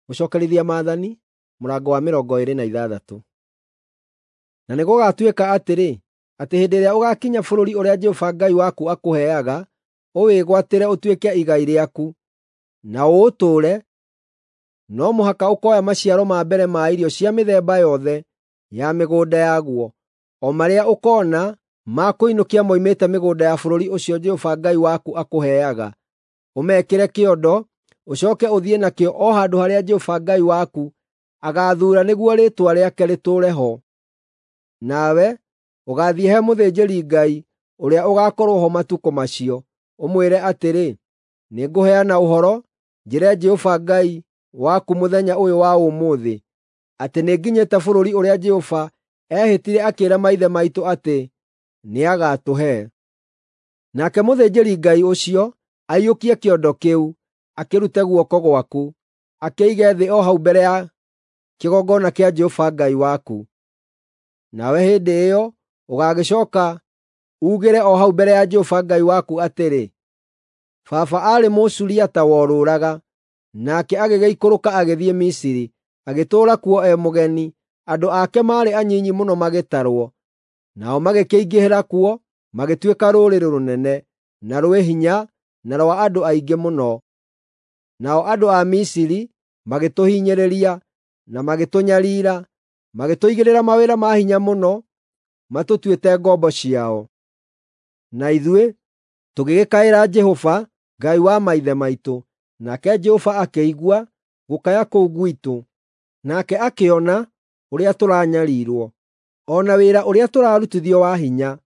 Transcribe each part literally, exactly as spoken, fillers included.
Gũcookerithia Maathani mũrango wa mĩrongo ĩĩrĩ na ithathatũ. Na nĩgũgatuĩka atĩrĩ, atĩ hĩndĩ ĩrĩa ũgaakinya bũrũri ũrĩa Jehova Ngai waku akũheaga, ũwĩgwatĩre ũtuĩke igai rĩaku, na ũũtũũre, no mũhaka ũkoya maciaro ma mbere ma irio cia mĩthemba yothe ya mĩgũnda yaguo, o marĩa ũkoona ma kũinũkia moimĩte mĩgũnda ya bũrũri ũcio Jehova Ngai waku akũheaga, ũmekĩre kĩondo, ũcooke ũthiĩ nakĩo o handũ harĩa Jehova Ngai waku agaathuura nĩguo Rĩĩtwa rĩake rĩtũũre ho. Nawe ũgaathiĩ he mũthĩnjĩri-Ngai ũrĩa ũgaakorwo ho matukũ macio, ũmwĩre atĩrĩ, “Nĩngũheana ũhoro, njĩre Jehova Ngai waku mũthenya ũyũ wa ũmũthĩ, atĩ nĩnginyĩte bũrũri ũrĩa Jehova eehĩtire akĩĩra maithe maitũ atĩ nĩagatũhe.” Nake mũthĩnjĩri-Ngai ũcio aiyũkie kĩondo kĩu, akĩrute guoko gwaku, akĩige thĩ o hau mbere ya kĩgongona kĩa Jehova Ngai waku. Nawe hĩndĩ ĩyo ũgaagĩcooka uugĩre o hau mbere ya Jehova Ngai waku atĩrĩ, “Baba aarĩ Mũsuriata worũũraga, nake agĩgĩikũrũka agĩthiĩ Misiri, agĩtũũra kuo e mũgeni. Andũ ake maarĩ anyinyi mũno magĩtarwo, nao magĩkĩingĩhĩra kuo, magĩtuĩka rũrĩrĩ rũnene, na rwĩ hinya, na rwa andũ aingĩ mũno. Nao andũ a Misiri magĩtũhinyĩrĩria na magĩtũnyariira, magĩtũigĩrĩra mawĩra ma hinya mũno matũtuĩte ngombo ciao. Na ithuĩ tũgĩgĩkaĩra Jehova, Ngai wa maithe maitũ, nake Jehova akĩigua gũkaya kũu gwitũ, nake akĩona ũrĩa tũranyariirwo, o na wĩra ũrĩa tũrarutithio wa hinya,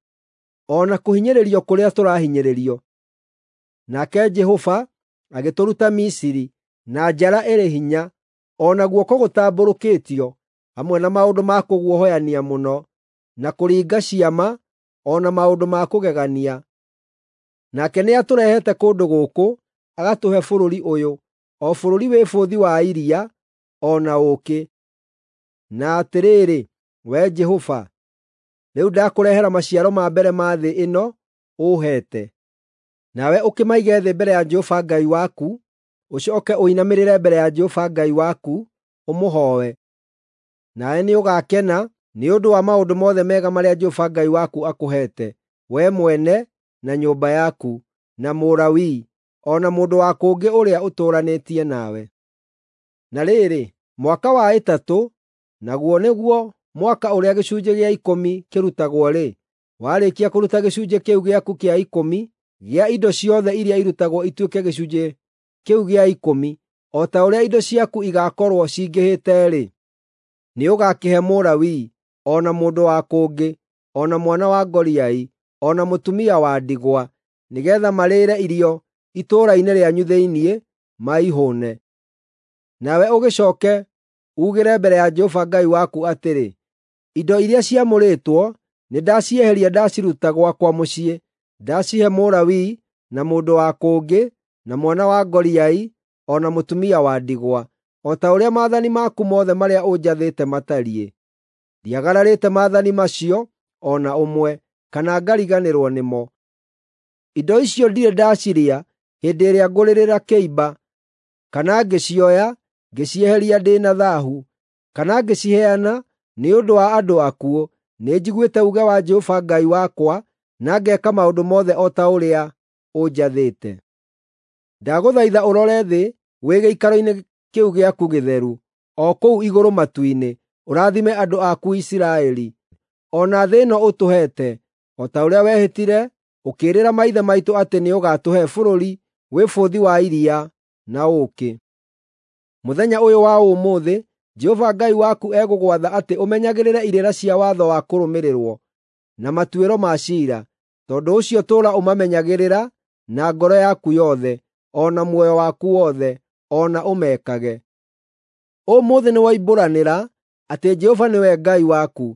o na kũhinyĩrĩrio kũrĩa tũrahinyĩrĩrio. Nake Jehova agĩtũruta Misiri na njara ĩrĩ hinya, o na guoko gũtambũrũkĩtio, hamwe na maũndũ ma kũguoyohania mũno, na kũringa ciama, o na maũndũ ma kũgegania. Nake nĩatũrehete kũndũ gũkũ, agatũhe bũrũri ũyũ, o bũrũri wĩ bũthi wa iria, o na ũũkĩ. Na atĩrĩrĩ, Wee Jehova, rĩu ndakũrehera maciaro ma mbere ma thĩ ĩno ũũheete. Nawe ũkĩmaige thĩ mbere ya Jehova Ngai waku, ũcooke ũinamĩrĩre mbere ya Jehova Ngai waku, ũmũhooe. Nawe nĩũgakena nĩ ũndũ wa maũndũ mothe mega marĩa Jehova Ngai waku akũheete, wee mwene, na nyũmba yaku, na Mũlawii, o na mũndũ wa kũngĩ ũrĩa ũtũũranĩtie nawe. Na rĩrĩ, mwaka wa ĩtatũ, naguo nĩguo mwaka ũrĩa gĩcunjĩ gĩa ikũmi kĩrutagwo-rĩ, warĩkia kũruta gĩcunjĩ kĩu gĩaku kĩa ikũmi gĩa indo ciothe iria irutagwo ituĩke gĩcunjĩ kĩu gĩa ikũmi, o ta ũrĩa indo ciaku igaakorwo cingĩhĩte-rĩ, nĩũgakĩhe Mũlawii, o na mũndũ wa kũngĩ, o na mwana wa ngoriai, o na mũtumia wa ndigwa, nĩgeetha marĩĩre irio itũũra-inĩ rĩanyu thĩinĩ, maihũũne. Nawe ũgĩcooke uugĩre mbere ya Jehova Ngai waku atĩrĩ, “Indo iria ciamũrĩtwo nĩndacieheria ndaciruta gwakwa mũciĩ, ndacihe Mũlawii, na mũndũ wa kũngĩ, na mwana wa ngoriai, o na mũtumia wa ndigwa, o ta ũrĩa maathani maku mothe marĩa ũnjathĩte matariĩ. Ndiagararĩte maathani macio o na ũmwe, kana ngariganĩrwo nĩmo. Indo icio ndirĩ ndacirĩa hĩndĩ ĩrĩa ngũrĩrĩra kĩimba, kana ngĩcioya ngĩcieheria ndĩ na thaahu, kana ngĩciheana nĩ ũndũ wa andũ akuũ. Nĩnjiguĩte uuge wa Jehova Ngai wakwa, na ngeeka maũndũ mothe o ta ũrĩa ũnjathĩte. Ndagũthaitha ũrore thĩ wĩ gĩikaro-inĩ kĩu gĩaku gĩtheru, o kũu igũrũ matu-inĩ, ũrathime andũ aku Isiraeli, o na thĩ ĩno ũtũheete, o ta ũrĩa wehĩtire ũkĩĩrĩra maithe maitũ atĩ nĩũgatũhe bũrũri wĩ bũthi wa iria na ũũkĩ.” Mũthenya ũyũ wa ũmũthĩ Jehova Ngai waku egũgwatha atĩ ũmenyagĩrĩre irĩra cia watho wa kũrũmĩrĩrwo, na matuĩro ma ciira. Tondũ ũcio tũũra ũmamenyagĩrĩra na ngoro yaku yothe, o na muoyo waku wothe, o na ũmekage. Ũmũthĩ nĩwoimbũranĩra atĩ Jehova nĩwe Ngai waku,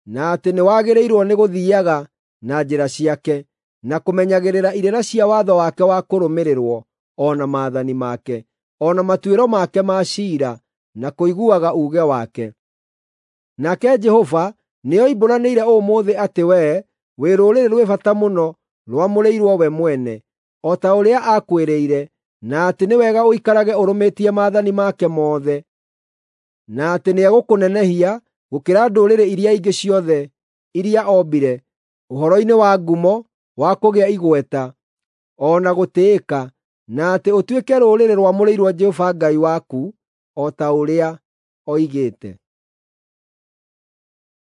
na atĩ nĩwagĩrĩirwo nĩ gũthiiaga na njĩra ciake, na kũmenyagĩrĩra irĩra cia watho wake wa kũrũmĩrĩrwo, o na maathani make, o na matuĩro make ma ciira, na kũiguaga uuge wake. Nake Jehova nĩoimbũranĩire ũmũthĩ atĩ wee wĩ rũrĩrĩ rwĩ bata mũno rwamũrĩirwo we mwene, o ta ũrĩa aakwĩrĩire, na atĩ nĩ wega ũikarage ũrũmĩtie maathani make mothe. na atĩ nĩegũkũnenehia gũkĩra ndũrĩrĩ iria ingĩ ciothe iria ombire, ũhoro-inĩ wa ngumo, wa kũgĩa igweta, o na gũtĩĩka, na atĩ ũtuĩke rũrĩrĩ rwamũrĩirwo Jehova Ngai waku, o ta ũrĩa oigĩte.